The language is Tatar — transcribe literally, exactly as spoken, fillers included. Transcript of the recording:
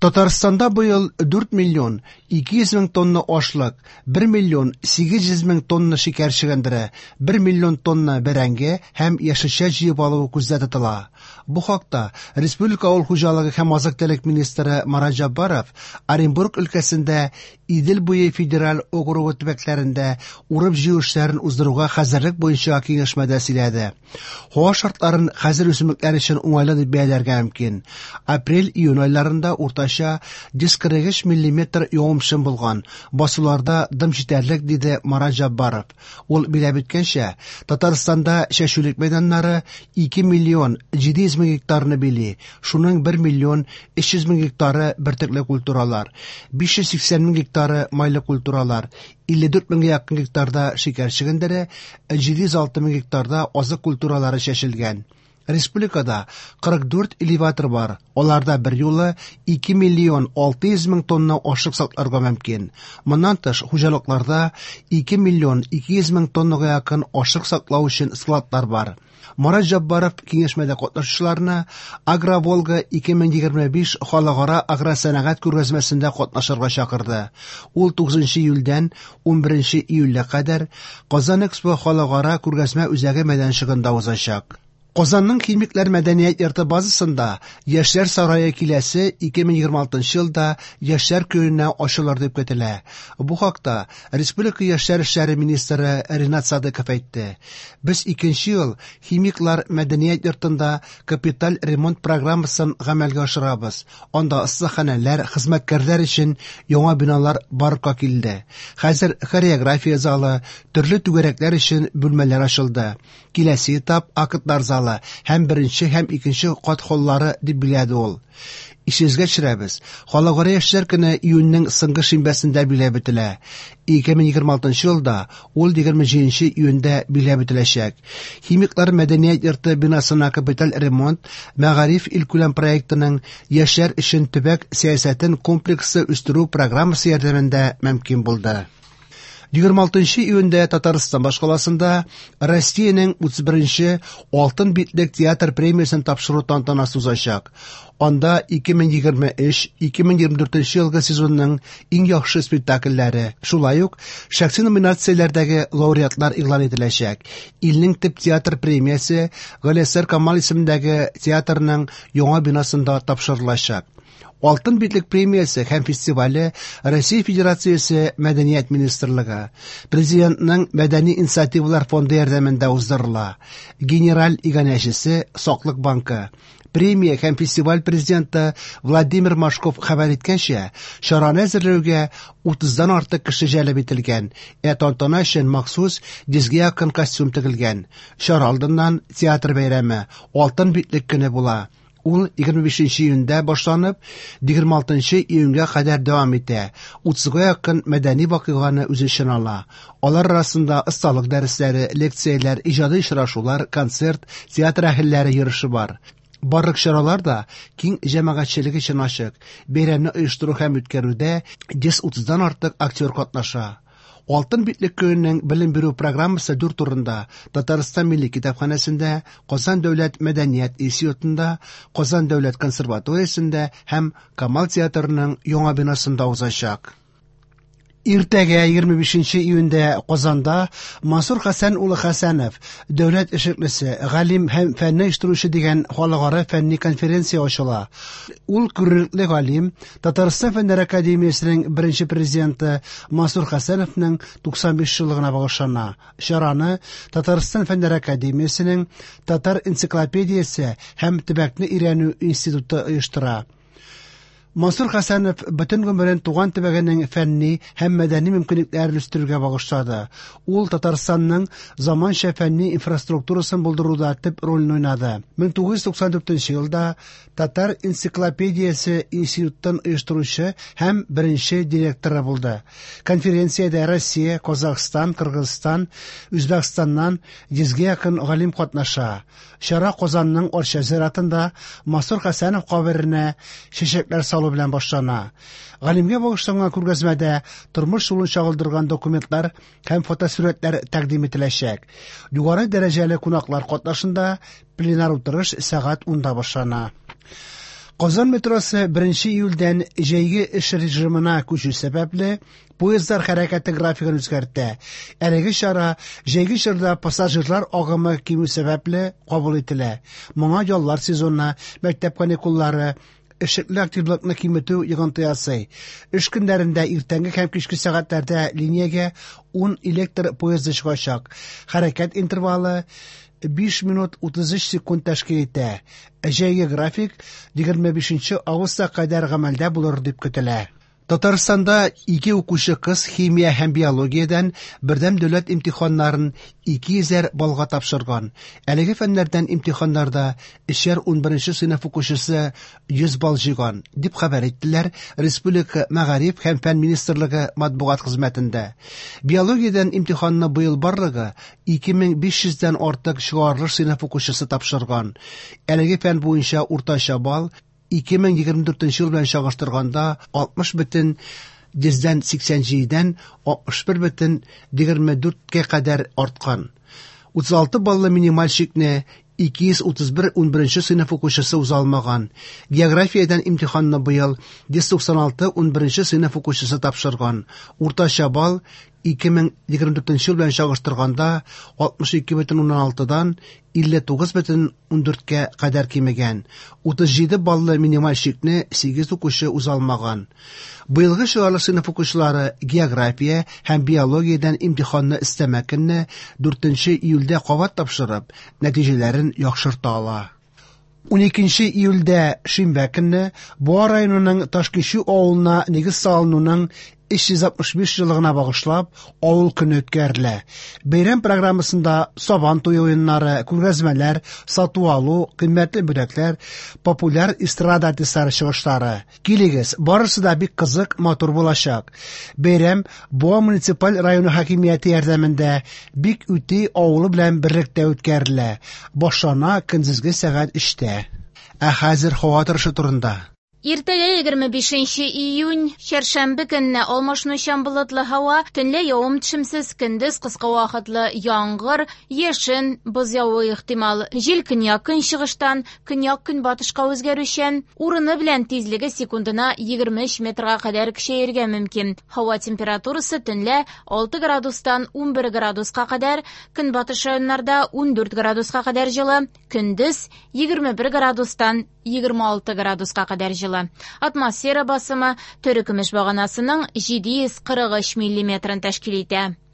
Татарстанда быел дүрт миллион ике йөз мең тонна ашлык, бер миллион сигез йөз мең тонна шикәр чөгендере, бер миллион тонна бәрәңге һәм яшелчә җыеп алу күздә тотыла. Бу хакта республика авыл хуҗалыгы һәм азык-төлек министры Марат Җәббаров Оренбург өлкәсендә Идел буе федераль округы төбәкләрендә урып-җыю эшләрен уздыруга хәзерлек буенча киңәшмәдә сөйләде. Һава шартларын хәзер үсемлекләр өчен уңайлы дип бәяләргә мөмкин. Апрель-июнь айларында уртача йөз кырык өч миллиметр явым-төшем булган. Басуларда дым җитәрлек, диде Марат Җәббаров. Ул билгеләп үткәнчә, Татарстанда чәчүлек мәйданнары ике миллион җиде йөз мең гектарны били. Шуның бер миллион өч йөз мең гектары бөртекле культуралар, биш йөз сиксән мең гектары майлы культуралар, илле дүрт меңгә якын гектарда шикәр чөгендере, җиде йөз алты мең гектарда азык культуралары чәчелгән. Республикада кырык дүрт элеватор бар. Аларда бер юлы ике миллион алты йөз мең тонна ашлык сакларга мөмкин. Моннан тыш, хуҗалыкларда ике миллион ике йөз мең тоннага якын ашлык саклау өчен складлар бар. Марат Җәббаров киңәшмәдә катнашучыларны Агроволга ике мең егерме биш халыкара агросәнәгать күргәзмәсендә катнашырга чакырды. Ул тугызынчы июльдән унберенче июльгә кадәр Казан Экспо халыкара күргәзмә үзәге мәйданчыгында узачак. Казанның Химиклар мәдәният йорты базасында Яшьләр сарае киләсе ике мең егерме алтынчы елда Яшьләр көненә ачылыр дип көтелә. Бу хакта Республика Яшьләр эшләре министры Ринат Садыков әйтте. Без икенче ел Химиклар мәдәният йортында капиталь ремонт программасын гамәлгә ашырабыз. Анда остаханәләр, хезмәткәрләр өчен яңа биналар барлыкка килде. Хәзер хореография залы, төрле түгәрәкләр өчен бүлмәләр ачылды. Киләсе этап актлар залы һәм беренче һәм икенче кат холлары дип билгеләде ул. Исегезгә төшерәбез. Халыкара яшьләр көне июньнең соңгы шимбәсендә билгеләп үтелә. Ике мең егерме алтынчы елда ул егерме җиденче июньдә билгеләп үтеләчәк. Химиклар мәдәният йорты бинасына капиталь ремонт Мәгариф илкүләм проектының яшьләр өчен төбәк сәясәтен комплекслы үстерү программасы ярдәмендә мөмкин булды. Егерме алтынчы июньдә Татарстан башкаласында Россиянең утыз беренче Алтын битлек театр премиясен тапшыру тантанасы узачак. Анда ике мең егерме өч, ике мең егерме дүртенче елгы сезонның иң яхшы спектакльләре, шулай ук шәхси номинацияләрдәге лауреатлар игълан ителәчәк. Илнең төп театр премиясе Галиәсгар Камал исемендәге театрның яңа бинасында тапшырылачак. Алтын битлек премиясе һәм фестивале Россия Федерациясе Мәдәният министрлыгы, Президентның Мәдәни инициативалар фонды ярдәмендә уздырыла. Генераль иганәчесе Саклык банкы. Премия һәм фестиваль президенты Владимир Машков хәбәр иткәнчә, чараны әзерләүгә утыздан артык кеше җәлеп ителгән, ә тантана өчен махсус йөзгә якын костюм тегелгән. Чара алдыннан театр бәйрәме Алтын битлек көне була. Ул егерме бишенче июньдә башланып, егерме алтынчы июньгә кадәр дәвам итә. Утызга якын мәдәни вакыйганы үз эченә ала. Алар арасында осталык дәресләре, лекцияләр, иҗади очрашулар, концерт, театр әһелләре йөреше бар. Барлык чаралар да киң җәмәгатьчелек өчен ачык. Бәйрәмне оештыру һәм үткәрүдә йөз утыздан артык актер катнаша. Алтын битлек көненең белем бирү программасы дүрт урында: Татарстан Милли китапханәсендә, Казан дәүләт мәдәният институтында, Казан дәүләт консерваториясендә һәм Камал театрының яңа бинасында узачак. Иртәгә егерме бишенче июньдә Казанда Мансур Хәсән улы Хәсәнов, дәүләт эшлеклесе, галим һәм фәнне оештыручы дигән халыкара фәнни конференция ачыла. Ул күренекле галим, Татарстан Фәннәр академиясенең беренче президенты Мансур Хәсәновның туксан биш еллыгына багышлана. Чараны Татарстан Фәннәр академиясенең Татар энциклопедиясе һәм төбәкне өйрәнү институты оештыра. Мансур Хәсәнов бөтен гомерен туган төбәгенең фәнни һәм мәдәни мөмкинлекләрен үстерүгә багышлады. Ул Татарстанның заманча фәнни инфраструктурасын булдыруда төп рольне уйнады. Мең тугыз йөз туксан дүртенче елда Татар энциклопедиясе институтын оештыручы һәм беренче директоры булды. Конференциядә Россия, Казахстан, Кыргызстан, Үзбәкстаннан йөзгә якын галим катнаша. Чара Казанның Арча зиратында Мансур Хәсәнов каберенә чәчәкләр салу белән башлана. Галимгә багышланган күргәзмәдә тормыш юлын чагылдырган документлар һәм фотосурәтләр тәкъдим ителәчәк. Югары дәрәҗәле кунаклар катнашында пленар утырыш сәгать унда башлана. Казан метросы беренче июльдән җәйге эш режимына күчү сәбәпле, поездлар хәрәкәте графигын үзгәртә. Әлеге чара җәйге чорда пассажирлар агымы кимү сәбәпле кабул ителә. Моңа яллар сезоны, мәктәп каникуллары, эшлекле активлыкны киметү йогынты ясый. Эш көннәрендә иртәнге һәм кичке сәгатьләрдә линиягә ун электр поезды чыгачак. Хәрәкәт интервалы биш минут утыз өч секунд тәшкил итә. Җәйге график егерме бишенче августка кадәр гамәлдә булыр дип көтелә. Татарстанда ике укучы кыз химия һәм биологиядән бердәм дәүләт имтиханнарын ике йөзәр баллга тапшырган. Әлеге фәннәрдән имтиханнарда өчәр унберенче сыйныф укучысы йөз балл җыйган, дип хәбәр иттеләр Республика Мәгариф һәм фән министрлыгы матбугат хезмәтендә. Биологиядән имтиханны быел барлыгы ике мең биш йөздән артык чыгарылыш сыйныф укучысы тапшырган. Әлеге фән буенча уртача балл ике мең егерме дүртенче ел белән чагыштырганда алтмыш бөтен йөздән сиксән җидедән алтмыш бер бөтен егерме дүрткә кадәр арткан. Утыз алты баллы минималь чикне ике йөз утыз бер унберенче сыйныф укучысы уза алмаган. Географиядән имтиханны быел йөз туксан алты унберенче сыйныф укучысы тапшырган. Уртача балл ике мең егерме дүртенче ел белән чагыштырганда алтмыш ике бөтен уннан алтыдан илле тугыз бөтен ундүрткә кадәр кимегән. Утыз җиде баллы минималь чикне сигез укучы уза алмаган. Быелгы чыгарылыш сыйныф укучылары география һәм биологиядән имтиханны өстәмә көнне дүртенче июльдә кабат тапшырып, нәтиҗәләрен яхшырта ала. Уникенче июльдә шимбә көнне Буа районының Ташкичү авылына нигез салынуның өч йөз алтмыш биш еллыгына багышлап авыл көне үткәрелә. Бәйрәм программасында сабан туе уеннары, күргәзмәләр, сату-алу, кыйммәтле бүләкләр, популяр эстрада артистлары чыгышлары. Килегез, барысы да бик кызык, матур булачак. Бәйрәм Буа муниципаль районы хакимияте ярдәмендә Бик Үти авылы белән берлектә үткәрелә. Башлана көндезге сәгать өчтә. Ә хәзер һава торышы турында. Иртәгә егерме бишенче июнь, чәршәмбе көнне алмашынучан болытлы һава, төнлә явым-төшемсез, көндез кыска вакытлы яңгыр, яшен, боз явуы ихтимал. Җил көньяк-көнчыгыштан көньяк-көнбатышка үзгәрүчән, урыны белән тизлеге секундына егерме өч метрга кадәр көчәергә мөмкин. Һава температурасы төнлә алты градустан унбер градуска кадәр, көнбатыш районнарда ундүрт градуска кадәр җылы, көндез егерме бер градустан егерме алты градуска кадәр җылы. Атмосфера басымы Төрекөмеш баганасының җиде йөз кырык өч миллиметрын тәшкил итә.